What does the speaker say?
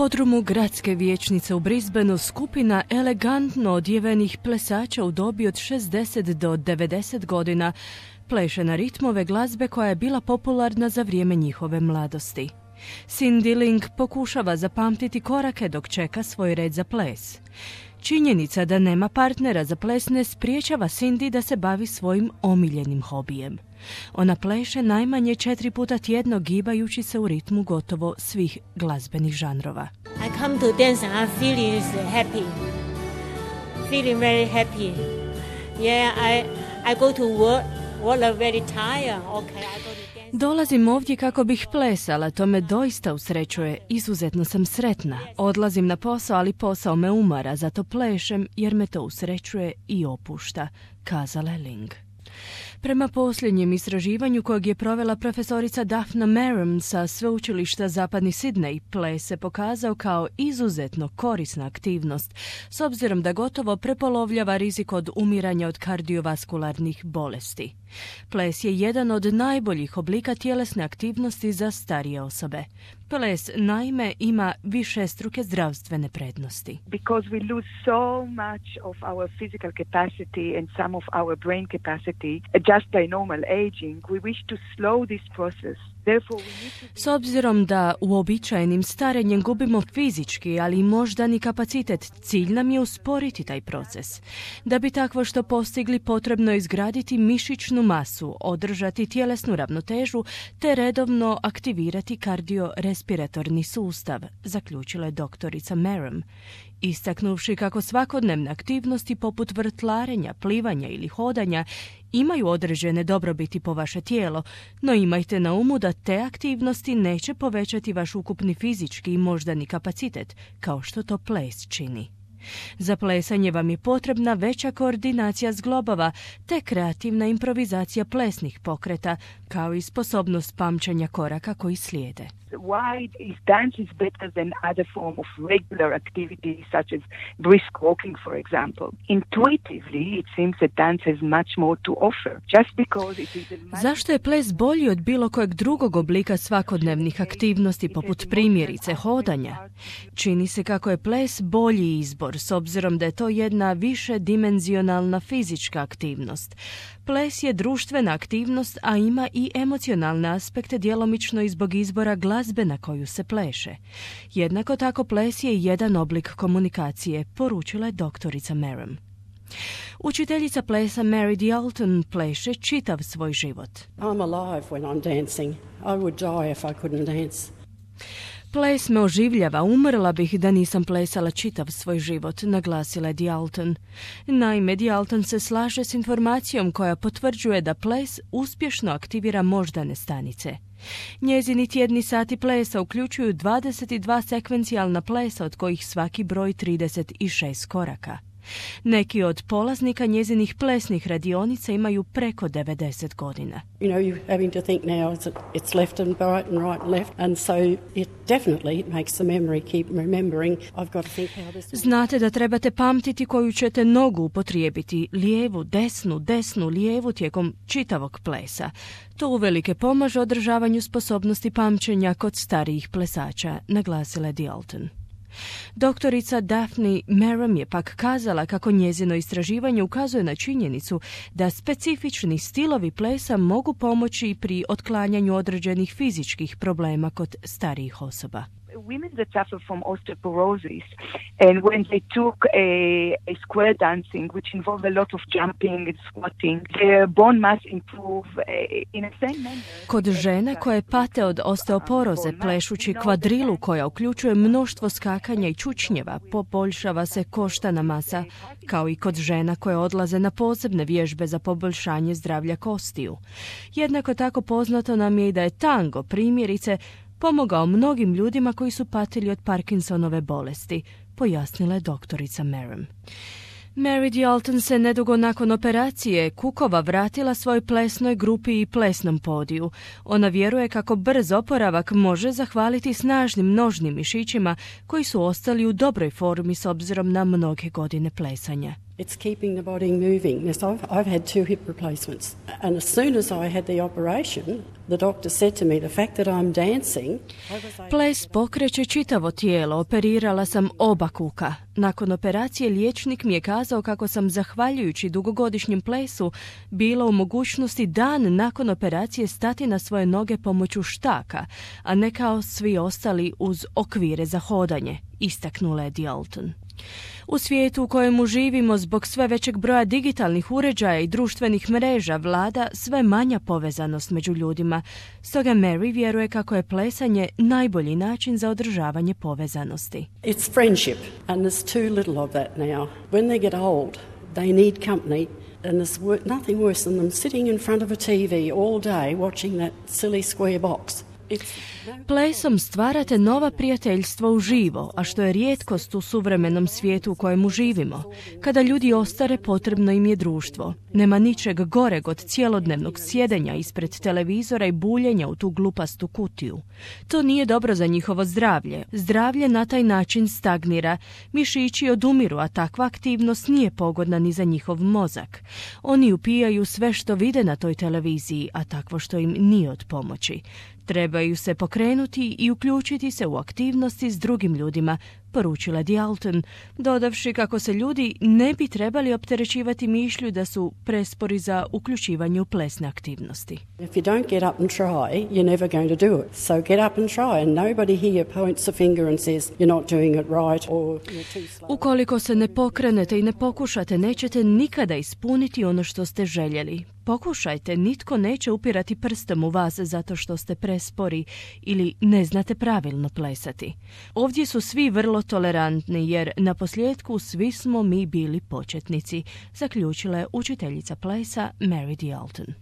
podrumu gradske vijećnice u Brisbaneu skupina elegantno odjevenih plesača u dobi od 60 do 90 godina pleše na ritmove glazbe koja je bila popularna za vrijeme njihove mladosti. Cindy Ling pokušava zapamtiti korake dok čeka svoj red za ples. Činjenica da nema partnera za ples ne spriječava Cindy da se bavi svojim omiljenim hobijem. Ona pleše najmanje 4 puta tjedno gibajući se u ritmu gotovo svih glazbenih žanrova. I come to dance and I'm feeling happy. Feeling very happy. Yeah, I go to work I'm very tired. Okay, I go to dance. Dolazim ovdje kako bih plesala, to me doista usrećuje. Izuzetno sam sretna. Odlazim na posao, ali posao me umara, zato plešem jer me to usrećuje i opušta, kazala je Ling. Prema posljednjem istraživanju kojeg je provela profesorica Daphna Merrim sa sveučilišta Zapadni Sidney, ples se pokazao kao izuzetno korisna aktivnost, s obzirom da gotovo prepolovljava rizik od umiranja od kardiovaskularnih bolesti. Ples je jedan od najboljih oblika tjelesne aktivnosti za starije osobe. Ples, naime, ima višestruke zdravstvene prednosti. Because we lose so much of our physical capacity and some of our brain capacity just by normal aging, we wish to slow this process. S obzirom da uobičajenim starenjem gubimo fizički, ali i moždani kapacitet, cilj nam je usporiti taj proces. Da bi takvo što postigli, potrebno je izgraditi mišićnu masu, održati tjelesnu ravnotežu te redovno aktivirati kardiorespiratorni sustav, zaključila je doktorica Merrim, istaknuvši kako svakodnevne aktivnosti poput vrtlarenja, plivanja ili hodanja imaju određene dobrobiti po vaše tijelo, no imajte na umu da te aktivnosti neće povećati vaš ukupni fizički i moždani kapacitet, kao što to ples čini. Za plesanje vam je potrebna veća koordinacija zglobova te kreativna improvizacija plesnih pokreta, kao i sposobnost pamćenja koraka koji slijede. Why is dance is better than other form of regular activity such as brisk walking, for example? Intuitively, it seems that dance has much more to offer. Just because it is Zašto je ples bolji od bilo kojeg drugog oblika svakodnevnih aktivnosti poput primjerice hodanja? Čini se kako je ples bolji izbor s obzirom da je to jedna više dimenzionalna fizička aktivnost. Ples je društvena aktivnost, a ima i emocionalne aspekte djelomično i zbog izbora glazbe na koju se pleše. Jednako tako ples je jedan oblik komunikacije, poručila je doktorica Merrim. Učiteljica plesa Mary Dialton pleše čitav svoj život. I'm alive when I'm dancing. I would die if I couldn't dance. Ples me oživljava, umrla bih da nisam plesala čitav svoj život, naglasila je Dialton. Naime, Dialton se slaže s informacijom koja potvrđuje da ples uspješno aktivira moždane stanice. Njezini tjedni sati plesa uključuju 22 sekvencijalna plesa, od kojih svaki broj 36 koraka. Neki od polaznika njezinih plesnih radionica imaju preko 90 godina. You know, you're having to think now it's left and right and right and left, and so it definitely makes the memory keep remembering. I've got to think how this. Znate da trebate pamtiti koju ćete nogu upotrijebiti, lijevu, desnu, lijevu tijekom čitavog plesa. To uvelike pomaže održavanju sposobnosti pamćenja kod starijih plesača, naglasila je Dialton. Doktorica Daphne Merrim je pak kazala kako njezino istraživanje ukazuje na činjenicu da specifični stilovi plesa mogu pomoći pri otklanjanju određenih fizičkih problema kod starijih osoba. Women that suffer from osteoporosis, and when they took a square dancing, which involved a lot of jumping and squatting, their bone mass improve in a same manner. Kod žena koje pate od osteoporoze plešući kvadrilu koja uključuje mnoštvo skakanja i čučnjeva, poboljšava se koštana masa, kao i kod žena koje odlaze na posebne vježbe za poboljšanje zdravlja kostiju. Jednako tako poznato nam je i da je tango, primjerice, pomogao mnogim ljudima koji su patili od Parkinsonove bolesti, pojasnila je doktorica Merrim. Mary Dialton se nedugo nakon operacije kukova vratila svoj plesnoj grupi i plesnom podiju. Ona vjeruje kako brz oporavak može zahvaliti snažnim nožnim mišićima koji su ostali u dobroj formi s obzirom na mnoge godine plesanja. It's keeping the body moving. Yes, I've had 2 hip replacements. And as soon as I had the operation, the doctor said to me, the fact that I'm dancing... Ples pokreće čitavo tijelo, operirala sam oba kuka. Nakon operacije liječnik mi je kazao kako sam, zahvaljujući dugogodišnjem plesu, bila u mogućnosti dan nakon operacije stati na svoje noge pomoću štaka, a ne kao svi ostali uz okvire za hodanje, istaknula je Dalton. U svijetu u kojemu živimo zbog sve većeg broja digitalnih uređaja i društvenih mreža vlada sve manja povezanost među ljudima. Stoga Mary vjeruje kako je plesanje najbolji način za održavanje povezanosti. It's friendship and there's too little of that now. When they get old, they need company. And there's nothing worse than them sitting in front of a TV all day watching that silly square box. Plesom stvarate nova prijateljstva uživo, a što je rijetkost u suvremenom svijetu u kojemu živimo. Kada ljudi ostare, potrebno im je društvo. Nema ničeg goreg od cjelodnevnog sjedenja ispred televizora i buljenja u tu glupastu kutiju. To nije dobro za njihovo zdravlje. Zdravlje na taj način stagnira. Mišići odumiru, a takva aktivnost nije pogodna ni za njihov mozak. Oni upijaju sve što vide na toj televiziji, a takvo što im nije od pomoći. Trebaju se pokrenuti i uključiti se u aktivnosti s drugim ljudima, poručila Dalton, dodavši kako se ljudi ne bi trebali opterećivati mišlju da su prespori za uključivanje u plesne aktivnosti. If you don't get up and try, you're never going to do it. So get up and try and nobody here points a finger and says you're not doing it right or you're too slow. Ukoliko se ne pokrenete i ne pokušate, nećete nikada ispuniti ono što ste željeli. Pokušajte, nitko neće upirati prstom u vas zato što ste prespori ili ne znate pravilno plesati. Ovdje su svi vrlo tolerantni jer na posljedku svi smo mi bili početnici, zaključila je učiteljica plesa Mary Dalton.